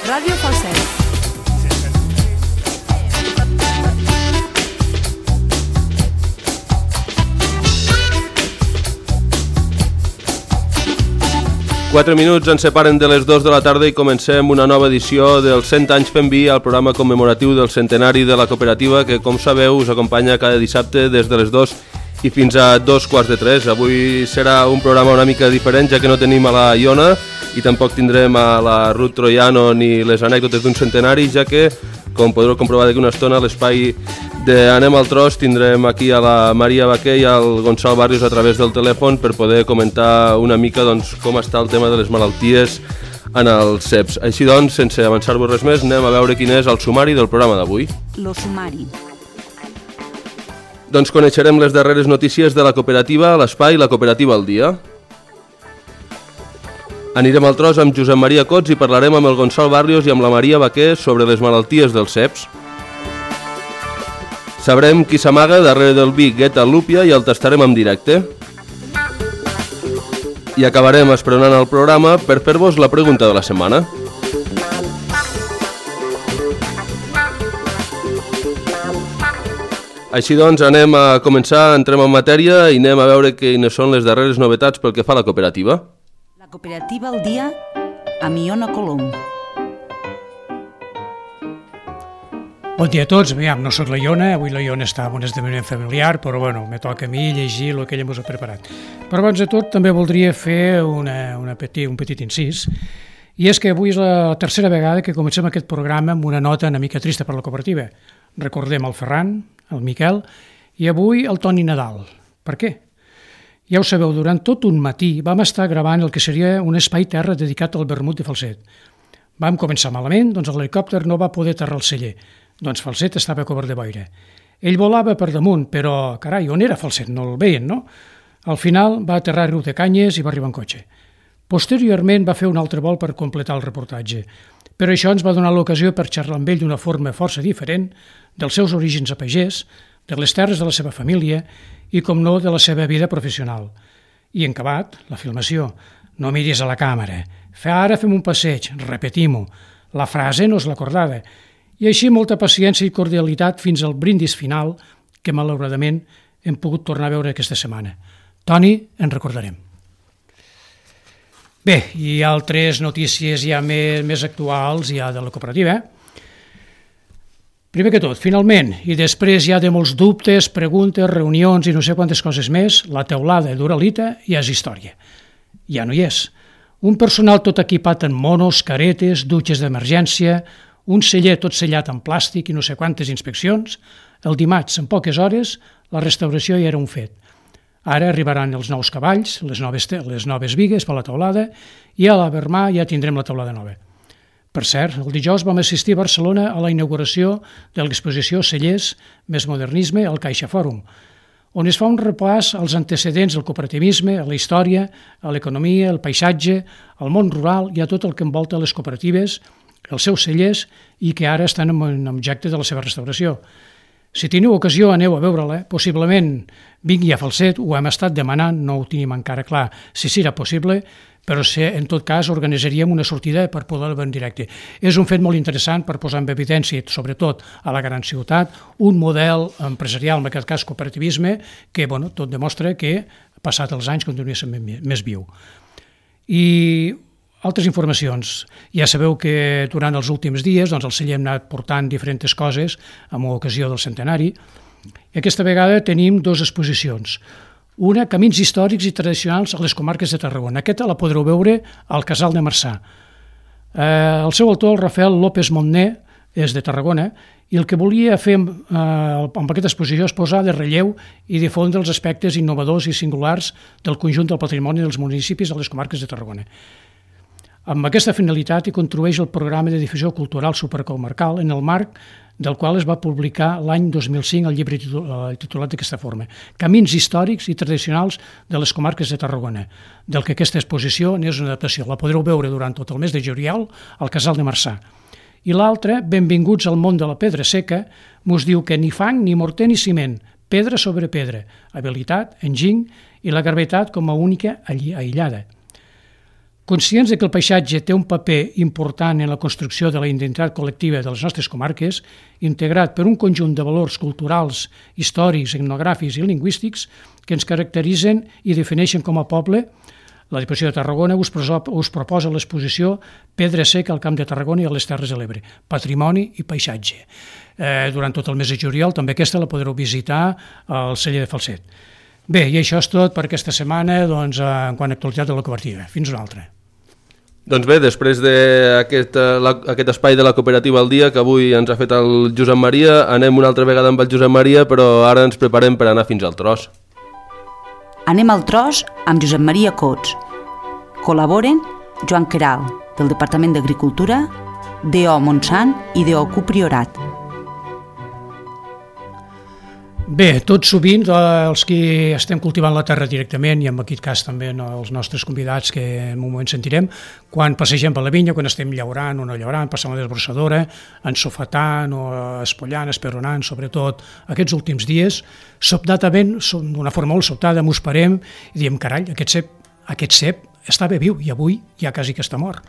Ràdio Falset. Quatre minuts ens separen de les 2 de la tarda i comencem una nova edició dels 100 anys fent vi, al programa commemoratiu del centenari de la cooperativa que, com sabeu, us acompanya cada dissabte des de les 2 i fins a 2:45. Avui serà un programa una mica diferent, ja que no tenim a la Iona i tampoc tindrem a la Ruth Troiano ni les anècdotes d'un centenari, ja que, com podreu comprovar d'aquí una estona, a l'espai d'Anem al Tros tindrem aquí a la Maria Baquer i al Gonçal Barrios a través del telèfon per poder comentar una mica com està el tema de les malalties en els ceps. Així doncs, sense avançar-vos res més, anem a veure quin és el sumari del programa d'avui. Lo sumari. Doncs coneixerem les darreres notícies de la cooperativa, l'espai La Cooperativa al Dia. Anirem al Tros amb Josep Maria Cots i parlarem amb el Gonçal Barrios i amb la Maria Baquer sobre les malalties dels ceps. Sabrem qui s'amaga darrere del vi Guetta Lúpia i el tastarem en directe. I acabarem esperonant el programa per fer-vos la pregunta de la setmana. Així doncs, anem a començar, entrem en matèria i anem a veure quines són les darreres novetats pel que fa a la cooperativa. La Cooperativa al Dia amb Iona Colom. Bon dia a tots. No soc la Iona, avui la Iona està en un esdeveniment familiar, però bueno, me toca a mi llegir el que ella ens ha preparat. Però abans de tot també voldria fer un petit incís, i és que avui és la tercera vegada que comencem aquest programa amb una nota una mica trista per la cooperativa. Recordem el Ferran, el Miquel, i avui el Toni Nadal. Per què? Ja ho sabeu, durant tot un matí vam estar gravant el que seria un espai terra dedicat al vermut de Falset. Vam començar malament, doncs l'helicòpter no va poder aterrar al celler. Doncs Falset estava cobert de boira. Ell volava per damunt, però, carai, on era Falset? No el veien, no? Al final va aterrar a Riu de Canyes i va arribar en cotxe. Posteriorment va fer un altre vol per completar el reportatge. Però això ens va donar l'ocasió per xerrar amb ell d'una forma força diferent dels seus orígens a pagès, de les terres de la seva família i, com no, de la seva vida professional. I en acabat, la filmació. No miris a la càmera. Ara fem un passeig, repetim-ho. La frase no és l'acordada. I així molta paciència i cordialitat fins al brindis final que malauradament hem pogut tornar a veure aquesta setmana. Toni, en recordarem. Bé, i altres notícies ja més actuals ja de la cooperativa. Primer que tot, finalment, i després ja de molts dubtes, preguntes, reunions i no sé quantes coses més, la teulada d'Uralita ja és història. Ja no hi és. Un personal tot equipat en monos, caretes, dutxes d'emergència, un celler tot sellat en plàstic i no sé quantes inspeccions. El dimarts, en poques hores, la restauració ja era un fet. Ara arribaran els nous cavalls, les noves bigues per la teulada, i a la Vermà ja tindrem la teulada nova. Per cert, el dijous vam assistir a Barcelona a la inauguració de l'exposició Cellers més modernisme al Caixa Fòrum, on es fa un repàs als antecedents del cooperativisme, a la història, a l'economia, al paisatge, al món rural i a tot el que envolta les cooperatives, els seus cellers i que ara estan en objecte de la seva restauració. Si teniu ocasió, aneu a veure-la. Possiblement vingui a Falset, ho hem estat demanant, no ho tenim encara clar si serà possible, però en tot cas organitzaríem una sortida per poder-la veure en directe. És un fet molt interessant per posar en evidència, sobretot a la gran ciutat, un model empresarial, en aquest cas cooperativisme, que tot demostra que, passat els anys, continua sent més viu. I altres informacions. Ja sabeu que durant els últims dies el celler hem anat portant diferents coses amb ocasió del centenari. I aquesta vegada tenim dues exposicions. Una, Camins històrics i tradicionals a les comarques de Tarragona. Aquesta la podreu veure al Casal de Marçà. El seu autor, el Rafael López Montner, és de Tarragona, i el que volia fer amb aquesta exposició és posar de relleu i difondre els aspectes innovadors i singulars del conjunt del patrimoni dels municipis de les comarques de Tarragona. Amb aquesta finalitat hi contribueix el programa de difusió cultural supercomarcal en el marc del qual es va publicar l'any 2005 el llibre titulat d'aquesta forma, Camins històrics i tradicionals de les comarques de Tarragona, del que aquesta exposició n'és una adaptació. La podreu veure durant tot el mes de juliol al Casal de Marçà. I l'altra, Benvinguts al món de la pedra seca, mos diu que ni fang, ni morter, ni ciment, pedra sobre pedra, habilitat, enginy i la gravetat com a única aïllada. Conscients de que el paisatge té un paper important en la construcció de la identitat col·lectiva de les nostres comarques, integrat per un conjunt de valors culturals, històrics, etnogràfics i lingüístics que ens caracteritzen i defineixen com a poble, la Diputació de Tarragona us proposa l'exposició Pedra seca al Camp de Tarragona i a les Terres de l'Ebre, Patrimoni i Paisatge. Durant tot el mes de juliol també aquesta la podreu visitar al celler de Falset. Bé, i això és tot per aquesta setmana en quant a actualitat de la cooperativa. Fins una altra. Doncs bé, després d'aquest espai de la cooperativa al dia que avui ens ha fet el Josep Maria, anem una altra vegada amb el Josep Maria, però ara ens preparem per anar fins al tros. Anem al tros amb Josep Maria Cots. Col·laboren Joan Queralt, del Departament d'Agricultura, D.O. Montsant i D.O. Priorat. Bé, tot sovint els que estem cultivant la terra directament, i en aquest cas també els nostres convidats que en un moment sentirem, quan passegem per la vinya, quan estem llaurant o no llaurant, passant la desbrossadora, ensofatant o espollant, esperonant, sobretot aquests últims dies, sobtadament, d'una forma molt sobtada, mos parem i diem, carai, aquest cep estava viu i avui ja quasi que està mort.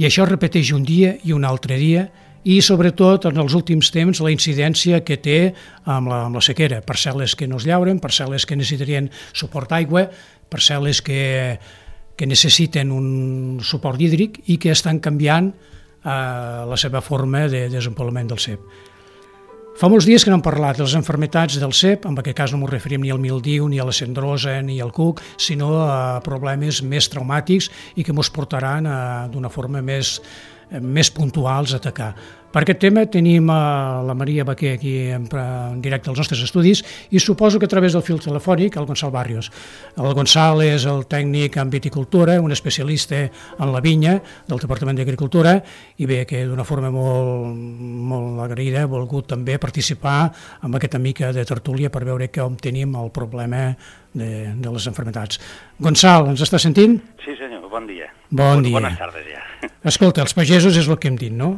I això es repeteix un dia i un altre dia, i sobretot en els últims temps la incidència que té amb la sequera, parcel·les que no es llauren, parcel·les que necessitarien suport d'aigua, parcel·les que necessiten un suport hídric i que estan canviant la seva forma de desenvolupament del cep. Fa molts dies que no hem parlat de les malalties del cep, en aquest cas no ens referim ni al mildiu, ni a la cendrosa, ni al cuc, sinó a problemes més traumàtics i que ens portaran d'una forma més puntuals a atacar. Per aquest tema tenim la Maria Baquer aquí en directe als nostres estudis i suposo que a través del fil telefònic el Gonçal Barrios. El Gonçal és el tècnic en viticultura, un especialista en la vinya del Departament d'Agricultura i bé, que d'una forma molt agraïda ha volgut també participar en aquesta mica de tertúlia per veure com tenim el problema de les malalties. Gonçal, ens està sentint? Sí senyor, bon dia. Bon dia. Bones tardes ja. Escolta, els pagesos és el que hem dit, no?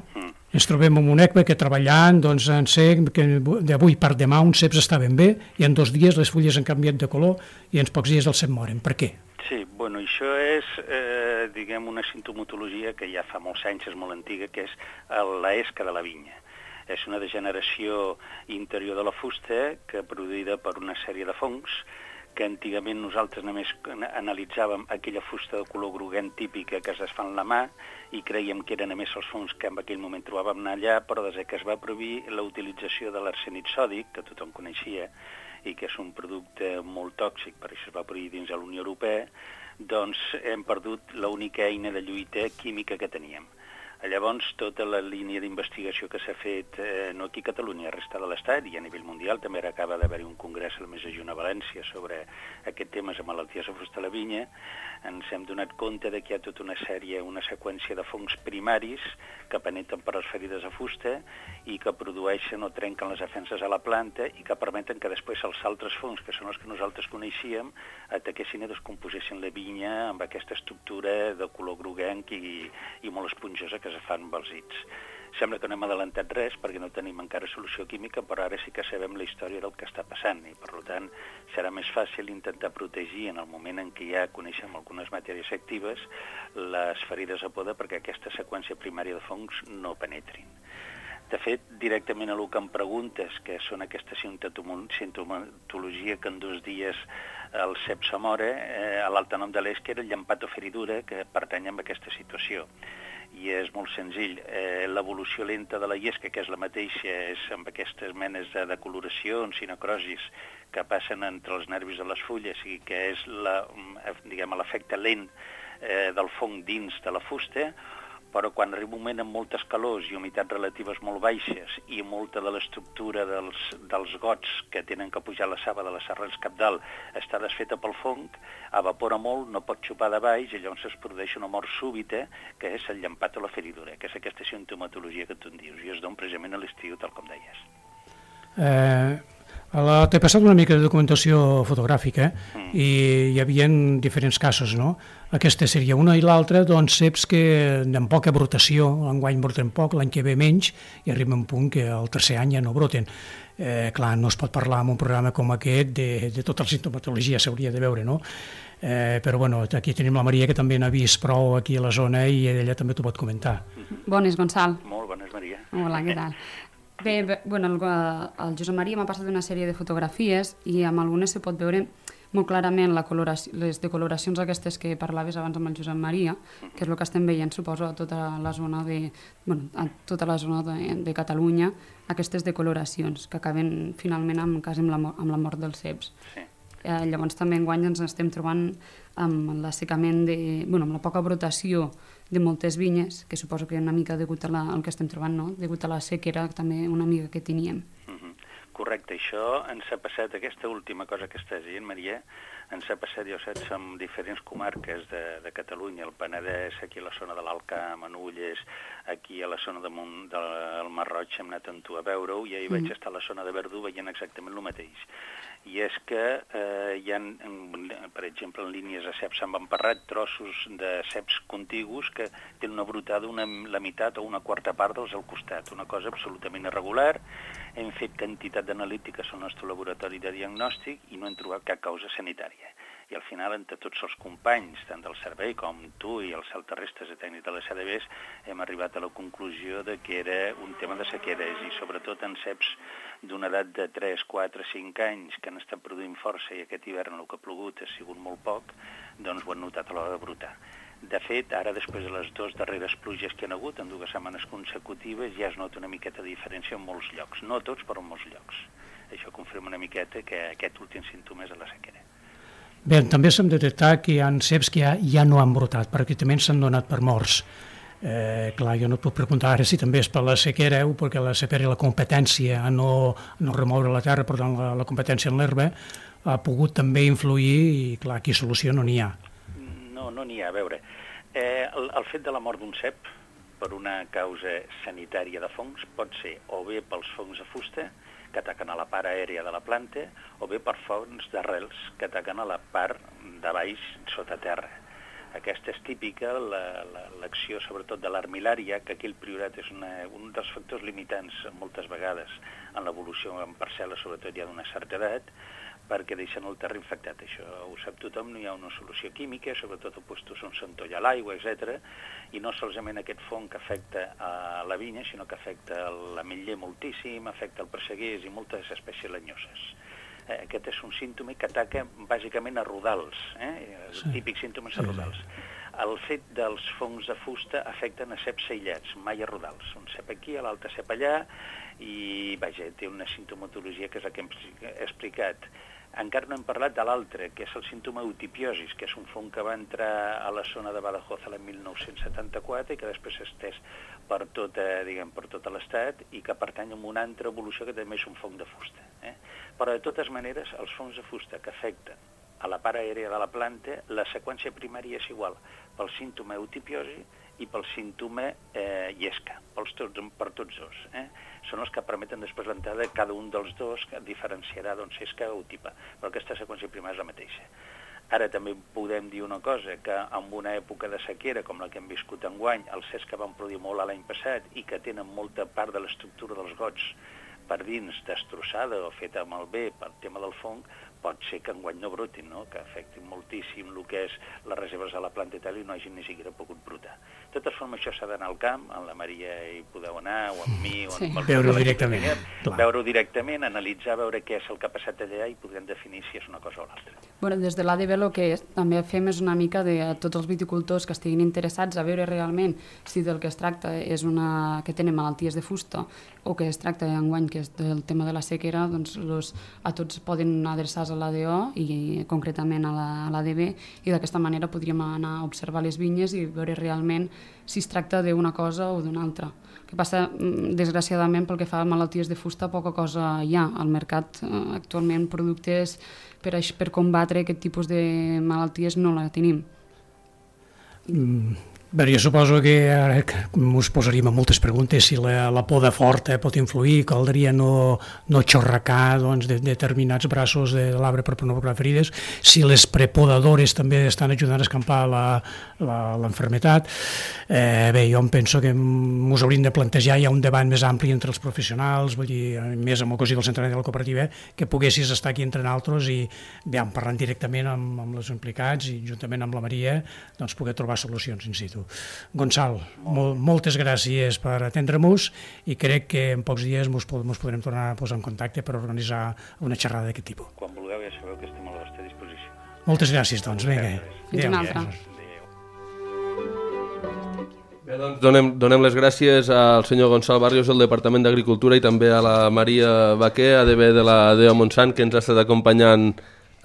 Ens trobem en un època que treballant, doncs en cep, que d'avui per demà uns ceps estaven bé i en 2 dies les fulles han canviat de color i en pocs dies els cep moren. Per què? Sí, bueno, això és, diguem, una sintomatologia que ja fa molts anys, és molt antiga, que és la esca de la vinya. És una degeneració interior de la fusta que produïda per una sèrie de fongs que antigament nosaltres només analitzàvem aquella fusta de color groguent típica que es desfà en la mà i creiem que eren només els fongs que en aquell moment trobàvem allà, però des que es va prohibir la utilització de l'arsenit sòdic, que tothom coneixia, i que és un producte molt tòxic, per això es va prohibir dins de la Unió Europea, doncs hem perdut l'única eina de lluita química que teníem. Llavors, tota la línia d'investigació que s'ha fet, no aquí a Catalunya, a resta de l'Estat i a nivell mundial, també acaba d'haver-hi un congrés al mes de juny a València sobre aquest tema de malalties de fusta a la vinya, ens hem donat compte que hi ha tota una seqüència de fongs primaris que penetren per les ferides de fusta i que produeixen o trenquen les defenses a la planta i que permeten que després els altres fongs, que són els que nosaltres coneixíem, ataquessin i descomposessin la vinya amb aquesta estructura de color groguenc i molt esponjosa que es fan amb els dits. Sembla que no hem adelantat res perquè no tenim encara solució química, però ara sí que sabem la història del que està passant i per tant serà més fàcil intentar protegir en el moment en què ja coneixem algunes matèries actives les ferides a poda perquè aquesta seqüència primària de fongs no penetrin. De fet, directament a el que em preguntes, que són aquesta sintomatologia que en 2 dies el cep se mora, l'altre nom de l'esca era el llampatoferidura, que pertany a aquesta situació. I és molt senzill. L'evolució lenta de la llesca, que és la mateixa, és amb aquestes menes de decoloracions i necrosis que passen entre els nervis de les fulles i que és l'efecte lent del fong dins de la fusta, però quan arriba un moment amb moltes calors i humitats relatives molt baixes i molta de l'estructura dels gots que tenen que pujar la saba de les arrels capdalt està desfeta pel fong, evapora molt, no pot xupar de baix i llavors es produeix una mort súbita que és el llampat o la feridura, que és aquesta sintomatologia que tu en dius i es dona precisament a l'estiu, tal com deies. T'he passat una mica de documentació fotogràfica i hi havia diferents casos, no? Aquesta seria una i l'altra, doncs ceps que amb poca brotació, l'enguany broten poc, l'any que ve menys, i arriba un punt que el tercer any ja no broten. Clar, no es pot parlar en un programa com aquest de tota la sintomatologia, s'hauria de veure, no? Però bueno, aquí tenim la Maria, que també n'ha vist prou aquí a la zona i ella també t'ho pot comentar. Bones, Gonçal. Molt bones, Maria. Hola, què tal? Bé, bueno, el Josep Maria m'ha passat una sèrie de fotografies i amb algunes se pot veure molt clarament les decoloracions aquestes que parlaves abans amb el Josep Maria, que és el que estem veient, suposo, a tota la zona de Catalunya, aquestes decoloracions que acaben finalment amb la mort dels ceps. Sí. Llavors també enguany ens estem trobant amb l'assecament amb la poca brotació de moltes vinyes, que suposo que una mica degut al que estem trobant, no? Degut a la sequera també una mica que teníem. Correcte, això ens ha passat, aquesta última cosa que estàs dient, Maria, ens ha passat, jo saps, en diferents comarques de Catalunya, el Penedès, aquí a la zona de l'Alt Camp, a Nulles, aquí a la zona del Mar Roig, hem anat amb tu a veure-ho, i ahir vaig estar a la zona de Verdú veient exactament el mateix. I és que hi ha, per exemple, en línies de ceps s'han emparrat trossos de ceps contigus que tenen una brotada la meitat o una quarta part dels al costat, una cosa absolutament irregular. Hem fet quantitat d'analítiques al nostre laboratori de diagnòstic i no hem trobat cap causa sanitària. I al final, entre tots els companys, tant del servei com tu i els altarrestes de tècnic de les ADBs, hem arribat a la conclusió de que era un tema de sequeres i sobretot en ceps d'una edat de 3, 4, 5 anys que han estat produint força i aquest hivern el que ha plogut ha sigut molt poc, doncs ho han notat a l'hora de brotar. De fet, ara després de les 2 darreres pluges que hi ha hagut, en 2 setmanes consecutives, ja es nota una miqueta de diferència en molts llocs. No tots, però en molts llocs. Això confirma una miqueta que aquest últim símptoma és de la sequera. Bé, també s'ha detectat que hi ha ceps que ja no han brotat, perquè també s'han donat per morts. Clar, jo no et puc preguntar ara si també és per la sequera, perquè la sequera i la competència a no remoure la terra, per tant la competència en l'herba, ha pogut també influir i clar, aquí solució no n'hi ha. No n'hi ha, a veure. El fet de la mort d'un cep per una causa sanitària de fongs pot ser o bé pels fongs de fusta, que ataquen a la part aèria de la planta, o bé per fongs d'arrels que ataquen a la part de baix sota terra. Aquesta és típica, l'acció sobretot de l'armilària, que aquí el priorat és un dels factors limitants moltes vegades en l'evolució en parcel·les, sobretot ja d'una certa edat, perquè deixen el terra infectat. Això ho sap tothom, no hi ha una solució química, sobretot opostos on s'entolla l'aigua, etc. I no solament aquest fong que afecta a la vinya, sinó que afecta l'ametller moltíssim, afecta el presseguers i moltes espècies lenyoses. Aquest és un símptoma que ataca bàsicament a rodals, els típics símptomes a rodals. El fet dels fongs de fusta afecten a ceps aïllats, mai a rodals. Un cep aquí, l'altre cep allà, i vaja, té una sintomatologia que és la que hem explicat. Encara no hem parlat de l'altre, que és el símptoma eutipiosis, que és un fong que va entrar a la zona de Badajoz l'any 1974 i que després s'ha estès per tot l'estat i que pertany a una altra evolució que també és un fong de fusta. Però de totes maneres, els fongs de fusta que afecten a la part aèria de la planta, la seqüència primària és igual pel símptoma eutipiosi i pel símptoma llesca, per tots dos. Són els que permeten després l'entrada de cada un dels dos, que diferenciarà doncs, llesca o tipa, però aquesta seqüència primària és la mateixa. Ara també podem dir una cosa, que en una època de sequera, com la que hem viscut enguany, els ceps que van produir molt l'any passat i que tenen molta part de l'estructura dels gots per dins destrossada o feta malbé pel tema del fong, pot ser que enguany no brotin, no? Que afectin moltíssim el que és les reserves a la planta i tal i no hagin ni siquiera pogut brotar. De totes formes, això s'ha d'anar al camp, amb la Maria hi podeu anar, o amb mi, o amb veure-ho directament. Veure-ho directament, analitzar, veure què és el que ha passat allà i podrem definir si és una cosa o l'altra. Bueno, des de l'ADB el que també fem és una mica de tots els viticultors que estiguin interessats a veure realment si del que es tracta és que tenen malalties de fusta o que es tracta enguany que és del tema de la sequera, doncs a tots poden adreçar-se a l'ADO i concretament a l'ADB i d'aquesta manera podríem anar a observar les vinyes i veure realment si es tracta d'una cosa o d'una altra. El que passa, desgraciadament, pel que fa a malalties de fusta, poca cosa hi ha al mercat. Actualment productes per combatre aquest tipus de malalties no la tenim. Bé, jo suposo que ara us posaríem moltes preguntes si la poda forta pot influir, caldria no xorracar determinats braços de l'arbre per no provocar ferides, si les prepodadores també estan ajudant a escampar l'enfermetat. Bé, jo em penso que us hauríem de plantejar ja un debat més ampli entre els professionals, vull dir, més amb el cosí del centenari de la cooperativa, que poguessis estar aquí entre nosaltres i parlant directament amb els implicats i juntament amb la Maria poder trobar solucions in situ. Gonçal, moltes gràcies per atendre-nos i crec que en pocs dies ens podrem tornar a posar en contacte per organitzar una xerrada d'aquest tipus. Quan vulgueu ja sabeu que estem a la vostra disposició. Moltes gràcies, doncs. Vinga. Fins una altra. Bé, doncs donem les gràcies al senyor Gonçal Barrios del Departament d'Agricultura i també a la Maria Baquer, ADB de la DEO Montsant, que ens ha estat acompanyant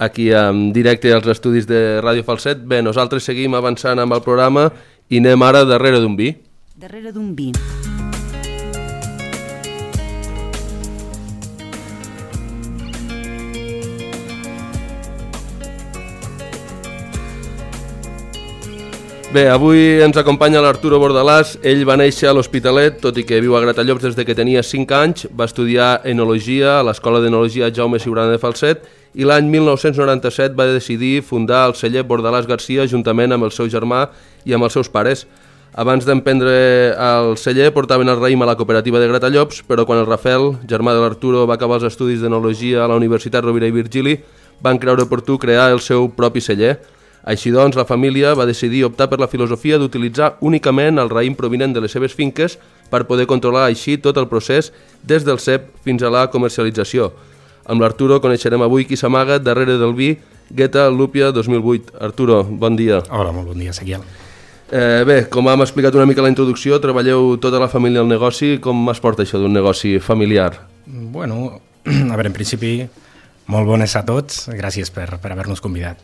aquí en directe als estudis de Ràdio Falset. Bé, nosaltres seguim avançant amb el programa i anem ara darrere d'un vi. Darrere d'un vi. Bé, avui ens acompanya l'Arturo Bordalàs. Ell va néixer a l'Hospitalet, tot i que viu a Gratallops des que tenia 5 anys. Va estudiar enologia a l'Escola d'Enologia Jaume Ciurana de Falset i l'any 1997 va decidir fundar el celler Bordalàs Garcia juntament amb el seu germà i amb els seus pares. Abans d'emprendre el celler portaven el raïm a la cooperativa de Gratallops, però quan el Rafael, germà de l'Arturo, va acabar els estudis d'enologia a la Universitat Rovira i Virgili, van creure oportú crear el seu propi celler. Així doncs, la família va decidir optar per la filosofia d'utilitzar únicament el raïm provinent de les seves finques per poder controlar així tot el procés des del cep fins a la comercialització. Amb l'Arturo coneixerem avui qui s'amaga darrere del vi Guetta Lúpia 2008. Arturo, bon dia. Hola, molt bon dia, Ezequiel. Bé, com hem explicat una mica a la introducció, treballeu tota la família al negoci. Com es porta això d'un negoci familiar? Bueno, a veure, en principi, molt bones a tots. Gràcies per haver-nos convidat.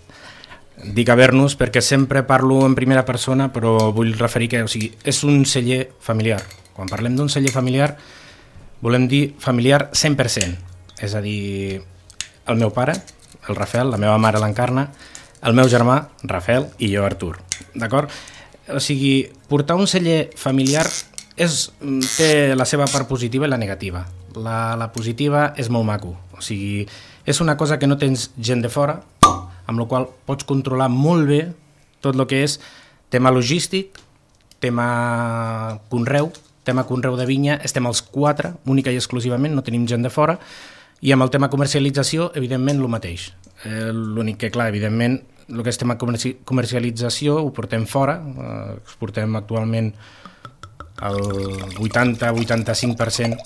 Dic haver-nos perquè sempre parlo en primera persona, però vull referir que és un celler familiar. Quan parlem d'un celler familiar, volem dir familiar 100%. És a dir, el meu pare, el Rafael, la meva mare l'Encarna, el meu germà, Rafael, i jo, Artur. D'acord? O sigui, portar un celler familiar té la seva part positiva i la negativa. La positiva és molt maco. O sigui, és una cosa que no tens gent de fora, amb la qual pots controlar molt bé tot el que és tema logístic, tema conreu de vinya, estem els 4, única i exclusivament, no tenim gent de fora, i amb el tema comercialització, evidentment, el mateix. L'únic que, clar, evidentment, el que és tema comercialització ho portem fora, exportem actualment el 80-85%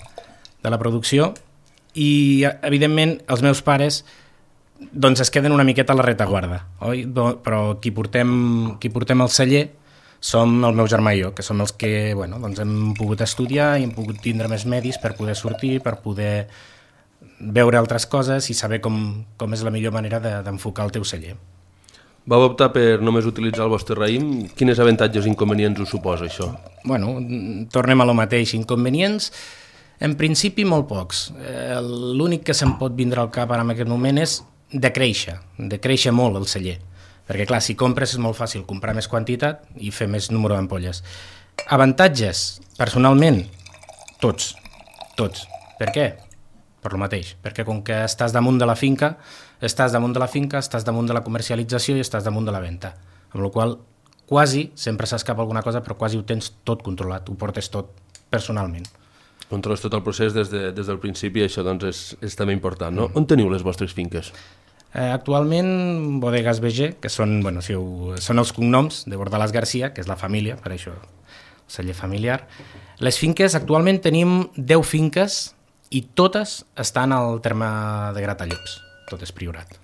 de la producció i, evidentment, els meus pares doncs es queden una miqueta a la retaguarda, oi? Però qui portem el celler som el meu germà i jo, que som els que doncs hem pogut estudiar i hem pogut tindre més medis per poder sortir, per poder veure altres coses i saber com és la millor manera d'enfocar el teu celler. Vau optar per només utilitzar el vostre raïm. Quines avantatges i inconvenients us suposa això? Bueno, tornem a lo mateix. Inconvenients, en principi, molt pocs. L'únic que se'm pot vindre al cap ara en aquest moment és de créixer molt el celler. Perquè, clar, si compres és molt fàcil comprar més quantitat i fer més número d'ampolles. Avantatges, personalment, tots. Per què? Per lo mateix, perquè com que estàs damunt de la finca, estàs damunt de la comercialització i estàs damunt de la venda. Amb la qual quasi, sempre s'escapa alguna cosa, però quasi ho tens tot controlat, ho portes tot personalment. Controles tot el procés des del principi, això doncs és també important, no? On teniu les vostres finques? Actualment, Bodegas BG, que són els cognoms de Bordalàs Garcia, que és la família, per això el celler familiar. Les finques, actualment tenim 10 finques i totes estan al terme de Gratallops, tot és Priorat.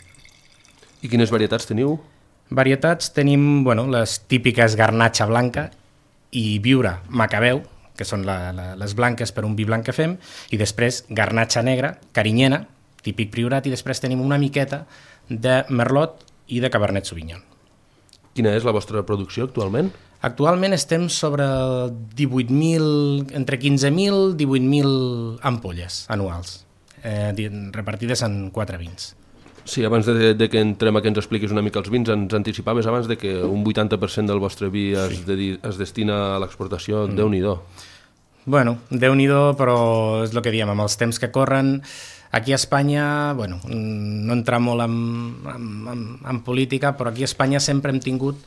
I quines varietats teniu? Varietats tenim les típiques garnatxa blanca i viura macabeu, que són les blanques per un vi blanc que fem, i després garnatxa negra, carinyena, típic Priorat, i després tenim una miqueta de merlot i de cabernet sauvignon. Quina és la vostra producció actualment? Actualment estem sobre 18.000, entre 15.000 i 18.000 ampolles anuals, repartides en 4 vins. Sí, abans de que entrem a que ens expliquis una mica els vins, ens anticipaves abans de que un 80% del vostre vi es destina a l'exportació. Déu-n'hi-do. Bueno, Déu-n'hi-do, però és el que diem, amb els temps que corren, aquí a Espanya, bueno, no entrar molt en política, però aquí a Espanya sempre hem tingut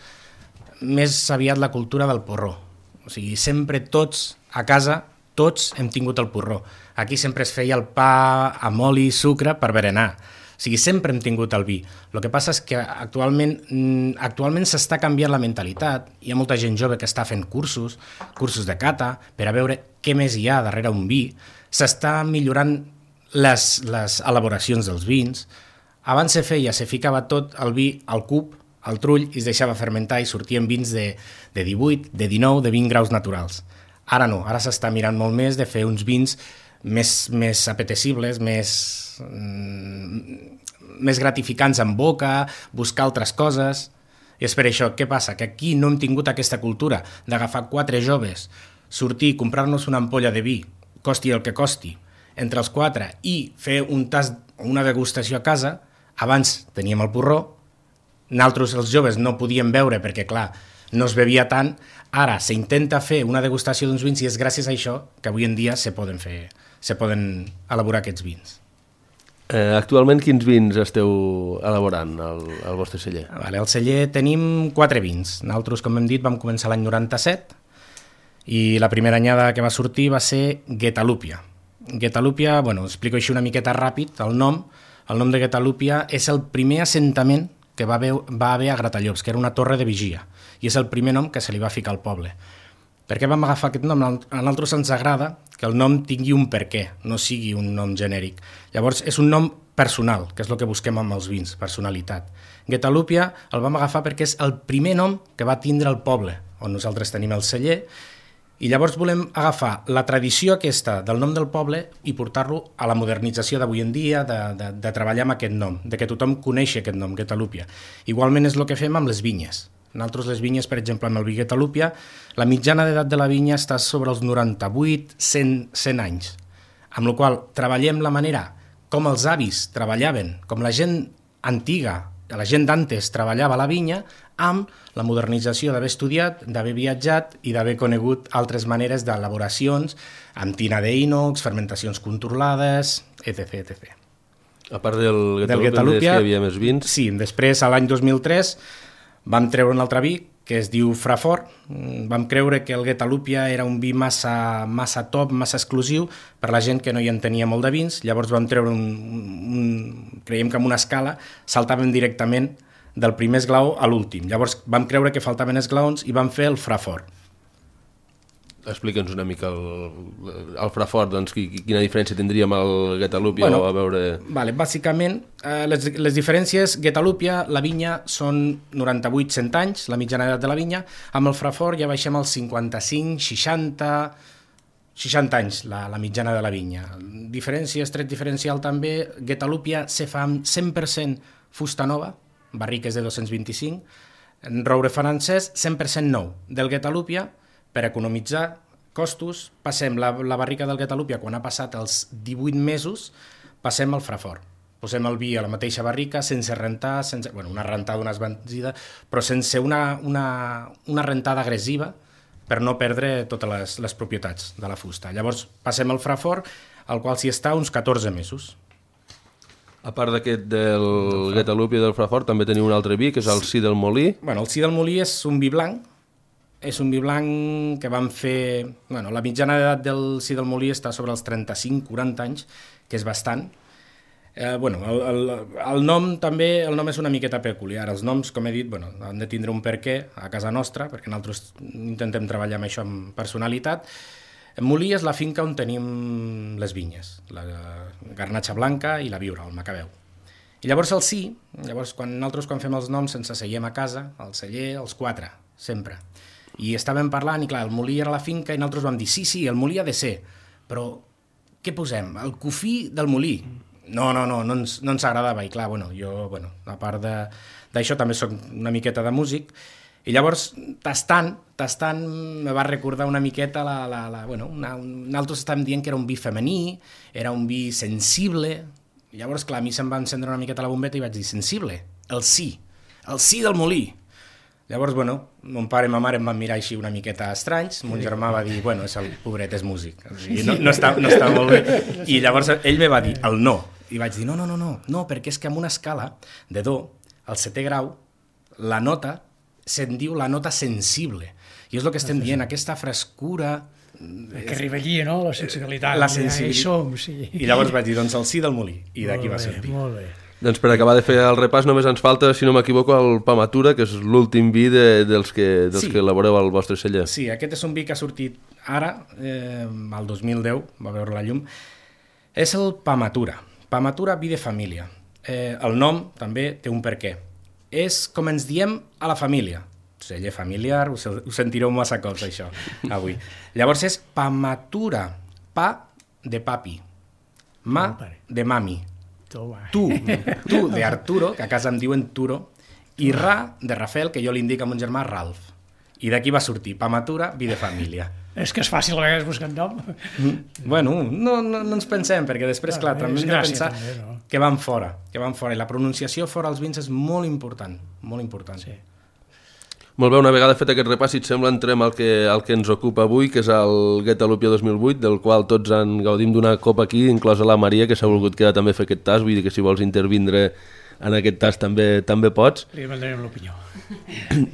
més aviat la cultura del porró. O sigui, sempre tots, a casa, tots hem tingut el porró. Aquí sempre es feia el pa amb oli i sucre per berenar. O sigui, sempre hem tingut el vi. El que passa és que actualment s'està canviant la mentalitat. Hi ha molta gent jove que està fent cursos de cata, per a veure què més hi ha darrere un vi. S'està millorant les elaboracions dels vins. Abans se ficava tot el vi al cub, al trull, i es deixava fermentar i sortien vins de 18, de 19, de 20 graus naturals. Ara no, ara s'està mirant molt més de fer uns vins més apetecibles, més gratificants en boca, buscar altres coses. I és per això, què passa? Que aquí no hem tingut aquesta cultura d'agafar 4 joves, sortir, comprar-nos una ampolla de vi, costi el que costi, entre els 4, i fer un tast, una degustació a casa. Abans teníem el porró, nosaltres els joves no podíem beure perquè, clar, no es bevia tant. Ara s'intenta fer una degustació d'uns vins i és gràcies a això que avui en dia se poden elaborar aquests vins. Actualment quins vins esteu elaborant al vostre celler? Al celler tenim 4 vins. Nosaltres, com hem dit, vam començar l'any 97 i la primera anyada que va sortir va ser Guetalupia. Guetalupia, bueno, explico així una miqueta ràpid, el nom de Guetalupia és el primer assentament que va haver a Gratallops, que era una torre de vigia, i és el primer nom que se li va ficar al poble. Per què vam agafar aquest nom? A nosaltres ens agrada que el nom tingui un per què, no sigui un nom genèric. Llavors, és un nom personal, que és el que busquem amb els vins, personalitat. Guetalupia el vam agafar perquè és el primer nom que va tindre el poble, on nosaltres tenim el celler, i llavors volem agafar la tradició aquesta del nom del poble i portar-lo a la modernització d'avui en dia, de treballar amb aquest nom, de que tothom coneixi aquest nom, Guetalupia. Igualment és el que fem amb les vinyes. Nosaltres les vinyes, per exemple, amb el vi Guetalupia, la mitjana d'edat de la vinya està sobre els 98-100 anys, amb la qual treballem la manera com els avis treballaven, com la gent antiga, la gent d'antes treballava la vinya, amb la modernització d'haver estudiat, d'haver viatjat i d'haver conegut altres maneres d'elaboracions amb tina d'ínox, fermentacions controlades, etc. A part del Guetalupia, que hi havia més vins? Sí, després, a l'any 2003, vam treure un altre vi que es diu Frafort. Vam creure que el Guetalupia era un vi massa top, massa exclusiu per la gent que no hi entenia molt de vins. Llavors vam treure creiem que amb una escala saltàvem directament del primer esglaó a l'últim. Llavors vam creure que faltaven esglaons i vam fer el Frafort. Explica'ns una mica el Frafort, doncs, quina diferència tindria amb el Guetalupia, bueno, a veure... Vale, bàsicament, les diferències, Guetalupia, la vinya, són 98-100 anys, la mitjana edat de la vinya, amb el Frafort ja baixem als 55-60 anys, la mitjana de la vinya. Tret diferencial també, Guetalupia se fa amb 100% fusta nova, barriques de 225, roure francès 100% nou. Del Guetalupia, per economitzar costos, passem la barrica del Guetalupia, quan ha passat els 18 mesos, passem al Frafort. Posem el vi a la mateixa barrica, sense rentar, una rentada, una esbenzida, però sense una rentada agressiva per no perdre totes les propietats de la fusta. Llavors passem al Frafort, al qual s'hi està uns 14 mesos. A part d'aquest del Guetalupia i del Frafort, també teniu un altre vi, que és el Sí del Molí. Bueno, el Sí del Molí és un vi blanc, que vam fer... Bueno, la mitjana d'edat del Sí del Molí està sobre els 35-40 anys, que és bastant. El nom també, el nom és una miqueta peculiar. Els noms, com he dit, han de tindre un perquè a casa nostra, perquè nosaltres intentem treballar amb això amb personalitat. Molí és la finca on tenim les vinyes, la Garnatxa Blanca i la Viura, el Macabeu. I llavors el Sí, quan fem els noms ens asseiem a casa, al celler, els 4, sempre. I estàvem parlant, i clar, el molí era la finca, i nosaltres vam dir, sí, el molí ha de ser, però què posem? El cofí del molí? No ens agradava, i clar, jo, a part d'això, també soc una miqueta de músic, i llavors, tastant, me va recordar una miqueta, nosaltres estàvem dient que era un vi femení, era un vi sensible, Llavors, clar, a mi se'm va encendre una miqueta la bombeta i vaig dir, sensible, el sí del molí. Llavors, bueno, mon pare i ma mare em van mirar així una miqueta estranys, mon germà va dir, bueno, el pobret és músic, o sigui, no està molt bé, i llavors ell me va dir el no, i vaig dir, no, perquè és que amb una escala de do, al 7è grau, la nota se'n diu la nota sensible, i és el que estem dient, aquesta frescura... Que arriba allí, no?, la sensibilitat. La sensibilitat. Ja hi som, sí. I llavors vaig dir, doncs el sí del molí, i d'aquí va sortir. Molt bé. Doncs per acabar de fer el repàs només ens falta, si no m'equivoco, el Pamatura, que és l'últim vi dels que elaboreu al vostre celler. Sí, aquest és un vi que ha sortit ara, el 2010, va veure la llum. És el Pamatura. Pamatura, vi de família. El nom també té un perquè. És com ens diem a la família. Celler familiar, ho sentireu massa cops, això, avui. Llavors és Pamatura, pa de papi, ma de mami. Tu de Arturo, que a casa em diuen Turo, i Ra de Rafael, que jo li indico a mon germà Ralf. I d'aquí va sortir Pamatura, vi de família. És que és fàcil a vegades buscar nom. Bueno, no ens pensem, perquè després, clar, també hem de pensar que van fora, i la pronunciació fora als vins és molt important, molt important. Sí. Molt bé, una vegada fet aquest repàs, si et sembla, entrem al que ens ocupa avui, que és el Guetta Lupia 2008, del qual tots en gaudim d'una copa aquí, inclosa la Maria, que s'ha volgut quedar també a fer aquest tas, vull dir que si vols intervindre en aquest tas també pots. Li demanarem l'opinió.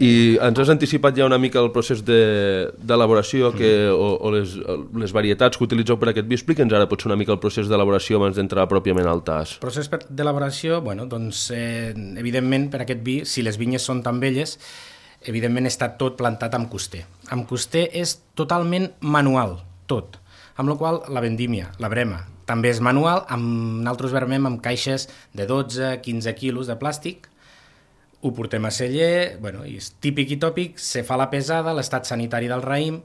I ens has anticipat ja una mica el procés d'elaboració o les varietats que utilitzeu per aquest vi. Explica'ns ara potser una mica el procés d'elaboració abans d'entrar pròpiament al tas. El procés d'elaboració, bueno, doncs, evidentment, per aquest vi, si les vinyes són tan velles, evidentment està tot plantat amb coster. Amb coster és totalment manual, tot. Amb la qual la vendímia, la brema, també és manual, nosaltres vermem amb caixes de 12-15 quilos de plàstic, ho portem a celler, bueno, i és típic i tòpic, se fa la pesada, l'estat sanitari del raïm.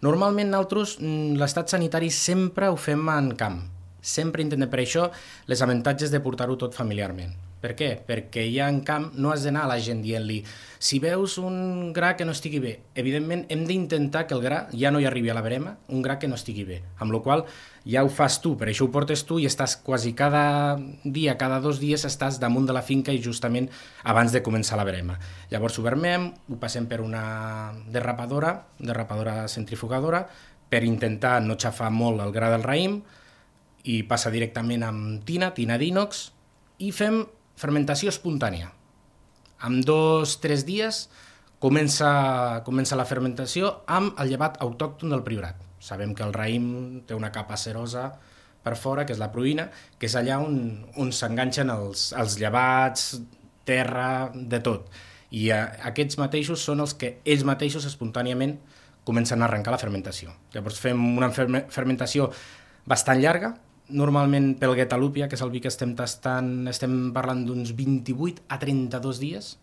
Normalment nosaltres l'estat sanitari sempre ho fem en camp, sempre intentem, per això les avantatges de portar-ho tot familiarment. Per què? Perquè ja en camp no has d'anar a la gent dient-li si veus un gra que no estigui bé. Evidentment hem d'intentar que el gra ja no hi arribi a la brema, un gra que no estigui bé, amb la qual ja ho fas tu, per això ho portes tu i estàs quasi cada dia, cada 2 dies estàs damunt de la finca i justament abans de començar la brema. Llavors ho vermem, ho passem per una derrapadora centrifugadora, per intentar no xafar molt el gra del raïm, i passa directament amb tina d'ínox, i fem fermentació espontània. En 2-3 dies comença la fermentació amb el llevat autòcton del Priorat. Sabem que el raïm té una capa cerosa per fora, que és la pruïna, que és allà on s'enganxen els llevats, terra, de tot. I aquests mateixos són els que ells mateixos espontàniament comencen a arrencar la fermentació. Llavors fem una fermentació bastant llarga. Normalment pel Guetta Lupia, que és el vi que estem tastant, estem parlant d'uns 28 a 32 dies,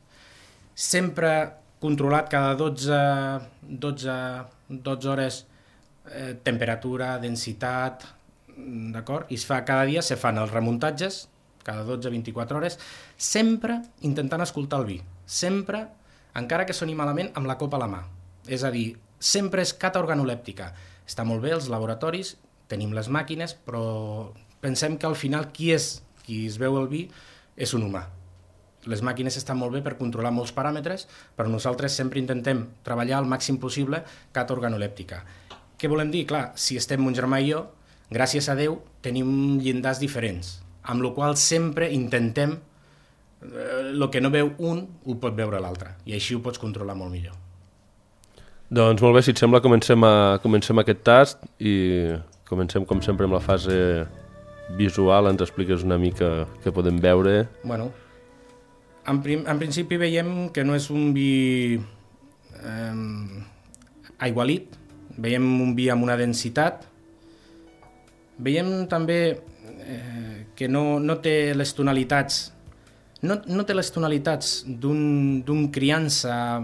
sempre controlat cada 12 hores, temperatura, densitat, d'acord? I cada dia se fan els remuntatges, cada 12-24 hores, sempre intentant escoltar el vi, sempre, encara que soni malament, amb la copa a la mà. És a dir, sempre és cata organolèptica. Està molt bé els laboratoris, tenim les màquines, però pensem que al final qui es veu el vi és un humà. Les màquines estan molt bé per controlar molts paràmetres, però nosaltres sempre intentem treballar al màxim possible cata organolèptica. Què volem dir? Clar, si estem mon germà i jo, gràcies a Déu, tenim llindars diferents, amb la qual sempre intentem el que no veu un ho pot veure l'altre, i així ho pots controlar molt millor. Doncs molt bé, si et sembla, comencem aquest tast i comencem, com sempre, amb la fase visual. Ens expliques una mica què podem veure. Bueno, en principi veiem que no és un vi aigualit, veiem un vi amb una densitat, veiem també que no té les tonalitats, no té les tonalitats d'un criança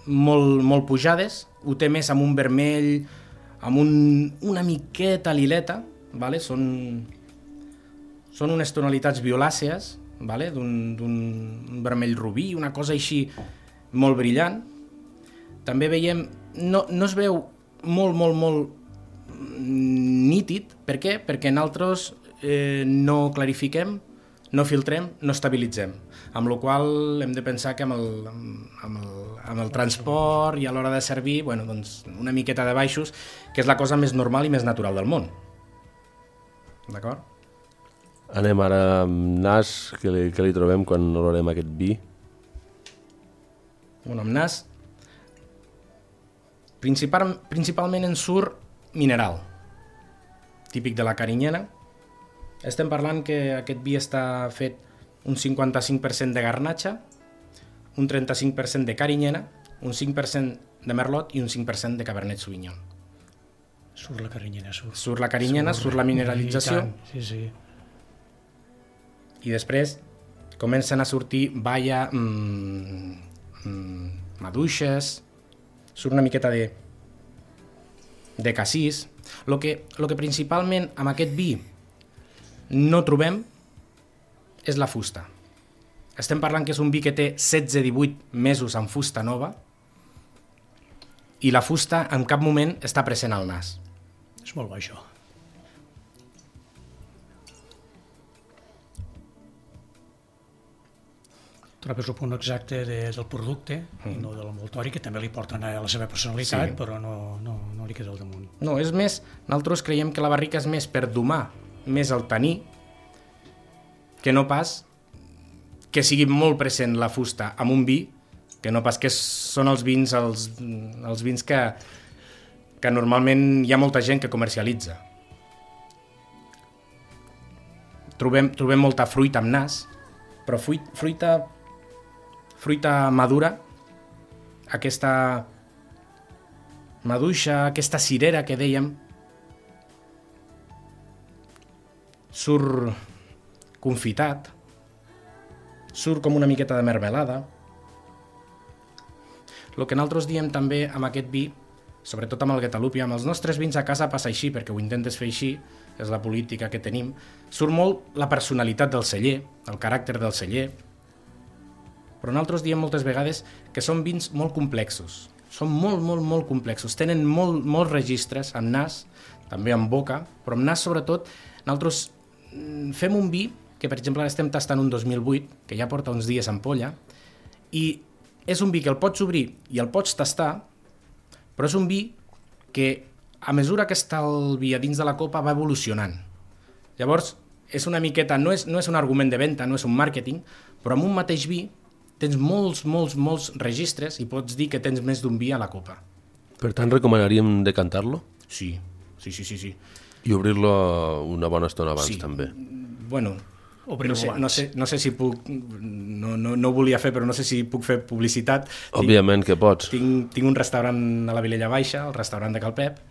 molt pujades, ho té més amb un vermell, amb una miqueta lileta, vale? Són unes tonalitats violàcies, vale? D'un vermell rubí, una cosa així molt brillant. També veiem, no es veu molt nítid. Per què? Perquè nosaltres no clarifiquem, no filtrem, no estabilitzem. Amb la qual hem de pensar que amb el transport i a l'hora de servir, bueno, doncs una miqueta de baixos, que és la cosa més normal i més natural del món. D'acord? Anem ara amb nas, que li trobem quan olorem aquest vi. Bueno, amb nas, principalment en surt mineral, típic de la Carinyena. Estem parlant que aquest vi està fet un 55% de garnatxa, un 35% de Carinyena, un 5% de merlot i un 5% de cabernet sauvignon. Surt la Carinyena, Surt la Carinyena, surt la mineralització. Sí, sí. I després comencen a sortir balla, maduixes, surt una miqueta de cassís. Lo que principalment amb aquest vi no trobem és la fusta. Estem parlant que és un vi que té 16-18 mesos en fusta nova i la fusta en cap moment està present al nas. És molt bo, això. Trobes el punt exacte del producte, no de l'envoltori, que també li porten a la seva personalitat, sí. Però no li queda al damunt. No, és més, nosaltres creiem que la barrica és més per domar més el taní, que no pas que sigui molt present la fusta amb un vi, que no pas que són els vins que normalment hi ha molta gent que comercialitza. Trobem molta fruita amb nas, però fruita madura, aquesta maduixa, aquesta cirera que dèiem, surt confitat, surt com una miqueta de mermelada. El que nosaltres diem també amb aquest vi, sobretot amb el Guadalupe, amb els nostres vins a casa passa així, perquè ho intentes fer així, és la política que tenim, surt molt la personalitat del celler, el caràcter del celler, però nosaltres diem moltes vegades que són vins molt complexos, són molt complexos, tenen molts registres, amb nas, també amb boca, però amb nas sobretot, nosaltres fem un vi que per exemple estem tastant un 2008, que ja porta uns dies en ampolla, i és un vi que el pots obrir i el pots tastar, però és un vi que a mesura que està el vi a dins de la copa va evolucionant. Llavors, és una miqueta, no és un argument de venda, no és un màrqueting, però amb un mateix vi tens molts registres i pots dir que tens més d'un vi a la copa. Per tant, recomanaríem decantar-lo? Sí. I obrir-lo una bona estona abans, també. Bueno, no sé si puc, no ho volia fer, però no sé si puc fer publicitat. Òbviament que pots. Tinc un restaurant a la Vilella Baixa, el restaurant de Cal Pep,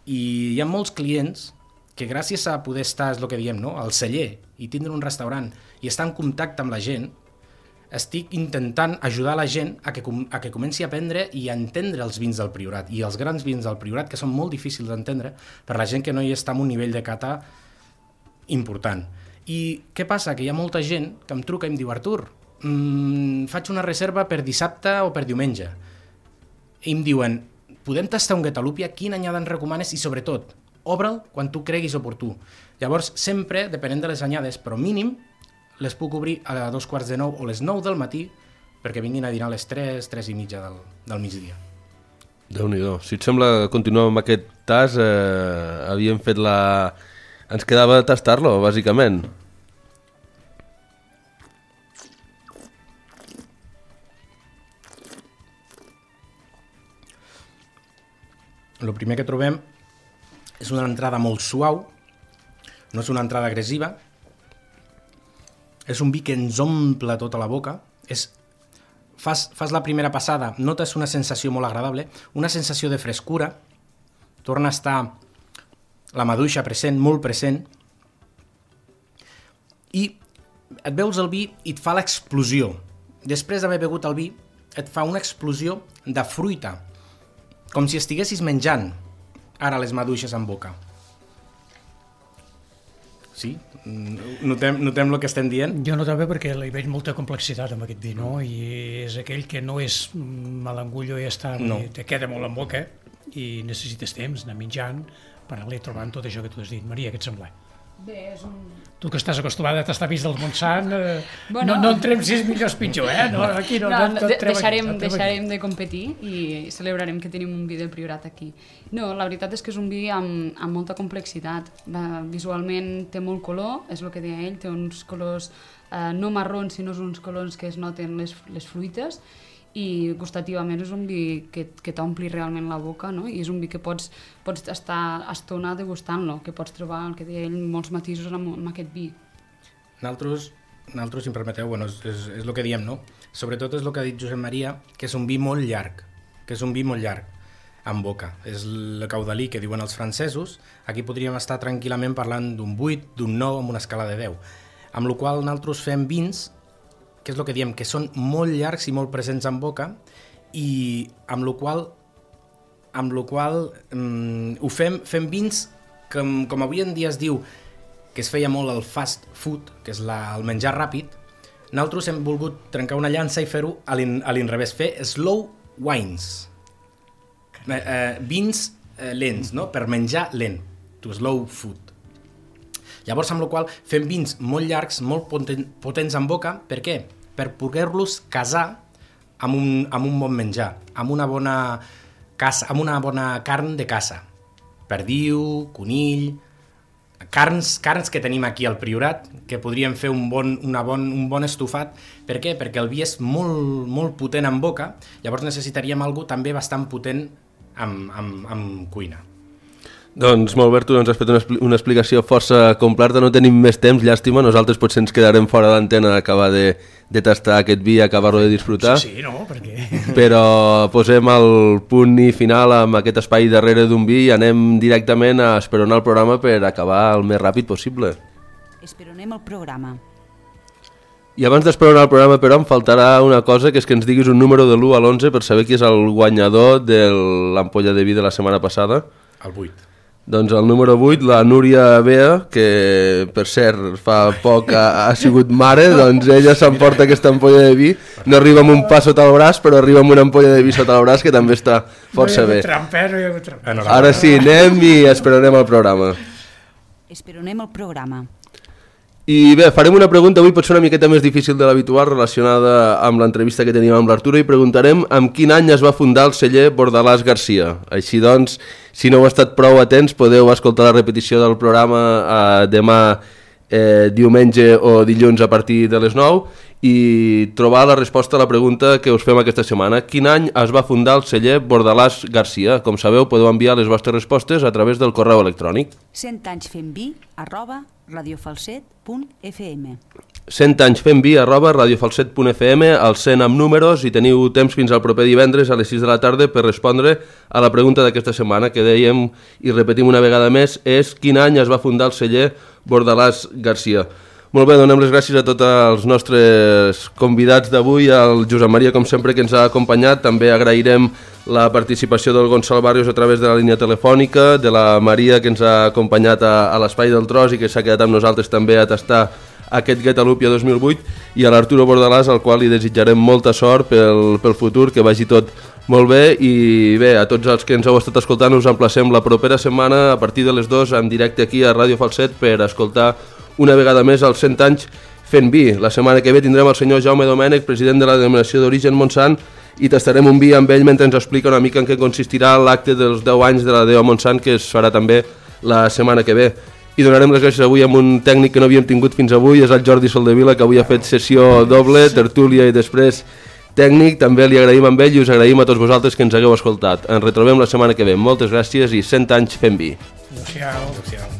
i hi ha molts clients que gràcies a poder estar, és el que diem, no?, al celler i tindre un restaurant i estar en contacte amb la gent, estic intentant ajudar la gent a que comenci a aprendre i a entendre els vins del Priorat, i els grans vins del Priorat, que són molt difícils d'entendre per la gent que no hi està en un nivell de cata important. I què passa? Que hi ha molta gent que em truca i em diu: Artur, faig una reserva per dissabte o per diumenge. I em diuen: podem tastar un Guadalupe? Quina anyada ens recomanes? I sobretot, obre'l quan tu creguis oportú. Llavors, sempre, depenent de les anyades, però mínim, les puc obrir a 8:45 o les 9 del matí perquè vinguin a dinar a les 3:30 del migdia. Déu-n'hi-do. Si et sembla, continuem amb aquest tas. Havíem fet Ens quedava tastar-lo, bàsicament. El primer que trobem és una entrada molt suau, no és una entrada agressiva, és un vi que ens omple tota la boca, fas la primera passada, notes una sensació molt agradable, una sensació de frescura, torna a estar la maduixa present, molt present, i et veus el vi i et fa l'explosió. Després d'haver begut el vi, et fa una explosió de fruita, com si estiguessis menjant ara les maduixes en boca. Sí? Notem el que estem dient? Jo no també, perquè hi veig molta complexitat amb aquest vi, no? I és aquell que no és malangullo i està, no. Te queda molt en boca i necessites temps, anar menjant, per anar-li trobant tot això que tu has dit. Maria, què et sembla? Bé, és un... Tu que estàs acostumada a tastar vins del Montsant, no entrem si és millor o pitjor, No, aquí no deixarem de competir i celebrarem que tenim un vi del Priorat aquí. No, la veritat és que és un vi amb molta complexitat. Visualment té molt color, és el que deia ell, té uns colors no marrons, sinó uns colors que es noten les fruites, i gustativament és un vi que t'ompli realment la boca, no? I és un vi que pots estar estona degustant-lo, que pots trobar, el que deia ell, molts matisos amb aquest vi. Nosaltres, si em permeteu, bueno, és el que diem, no? Sobretot és el que ha dit Josep Maria, que és un vi molt llarg, en boca. És el caudalí que diuen els francesos. Aquí podríem estar tranquil·lament parlant d'un 8, d'un 9, amb una escala de 10. Amb la qual nosaltres fem vins que és el que diem, que són molt llargs i molt presents en boca, i amb la qual ho fem vins que, com avui en dia es diu, que es feia molt el fast food, que és el menjar ràpid. Nosaltres hem volgut trencar una llança i fer-ho a l'inrevés, fer slow wines, vins lents, no? Per menjar lent, to slow food. Llavors, amb la qual fem vins molt llargs, molt potents en boca. Per què? Per poder-los casar amb un bon menjar, amb una bona carn de caça. Perdiu, conill, carns que tenim aquí al Priorat, que podríem fer un bon estofat. Per què? Perquè el vi és molt, molt potent en boca, llavors necessitaríem alguna cosa també bastant potent amb cuina. Doncs molt bé, tu ens has fet una explicació força completa, no tenim més temps, llàstima, nosaltres potser ens quedarem fora d'antena a acabar de tastar aquest vi i acabar-lo de disfrutar. Sí, no, perquè... Però posem el punt i final amb aquest espai darrere d'un vi i anem directament a esperonar el programa per acabar el més ràpid possible. Esperonem el programa. I abans d'esperonar el programa, però, em faltarà una cosa, que és que ens diguis un número de l'1 a l'11 per saber qui és el guanyador de l'ampolla de vi de la setmana passada. El 8. Doncs el número 8, la Núria Bea, que per cert fa poc ha sigut mare, doncs ella s'emporta aquesta ampolla de vi, no arriba amb un pa sota el braç, però arriba amb una ampolla de vi sota el braç, que també està força bé. Ara sí, anem i esperarem el programa. Esperonem el programa. I bé, farem una pregunta, avui pot ser una miqueta més difícil de l'habitual, relacionada amb l'entrevista que teníem amb l'Arturo, i preguntarem amb quin any es va fundar el celler Bordalàs Garcia. Així doncs, si no heu estat prou atents, podeu escoltar la repetició del programa demà diumenge o dilluns a partir de les 9 i trobar la resposta a la pregunta que us fem aquesta setmana. Quin any es va fundar el celler Bordalàs Garcia? Com sabeu, podeu enviar les vostres respostes a través del correu electrònic. 100anyfemvi@radiofalset.fm 100anyfemvi@radiofalset.fm, el 100 amb números, i teniu temps fins al proper divendres a les 6 de la tarda per respondre a la pregunta d'aquesta setmana, que dèiem i repetim una vegada més, és quin any es va fundar el celler Bordalàs Garcia. Molt bé, donem les gràcies a tots els nostres convidats d'avui, al Josep Maria, com sempre, que ens ha acompanyat. També agrairem la participació del Gonçal Barrios a través de la línia telefònica, de la Maria, que ens ha acompanyat a l'Espai del Tros i que s'ha quedat amb nosaltres també a tastar aquest Guetalupia 2008, i a l'Arturo Bordalàs, al qual li desitjarem molta sort pel futur, que vagi tot molt bé. I bé, a tots els que ens heu estat escoltant, us emplacem la propera setmana a partir de les 2 en directe aquí a Ràdio Falset per escoltar una vegada més els 100 anys fent vi. La setmana que ve tindrem el senyor Jaume Domènech, president de la denominació d'origen Montsant, i tastarem un vi amb ell mentre ens explica una mica en què consistirà l'acte dels 10 anys de la DO Montsant, que es farà també la setmana que ve. I donarem les gràcies avui amb un tècnic que no havíem tingut fins avui, és el Jordi Soldevila, que avui ha fet sessió doble, tertúlia i després tècnic. També li agraïm amb ell i us agraïm a tots vosaltres que ens hagueu escoltat. Ens retrobem la setmana que ve. Moltes gràcies i 100 anys fent vi. Adéu-siau.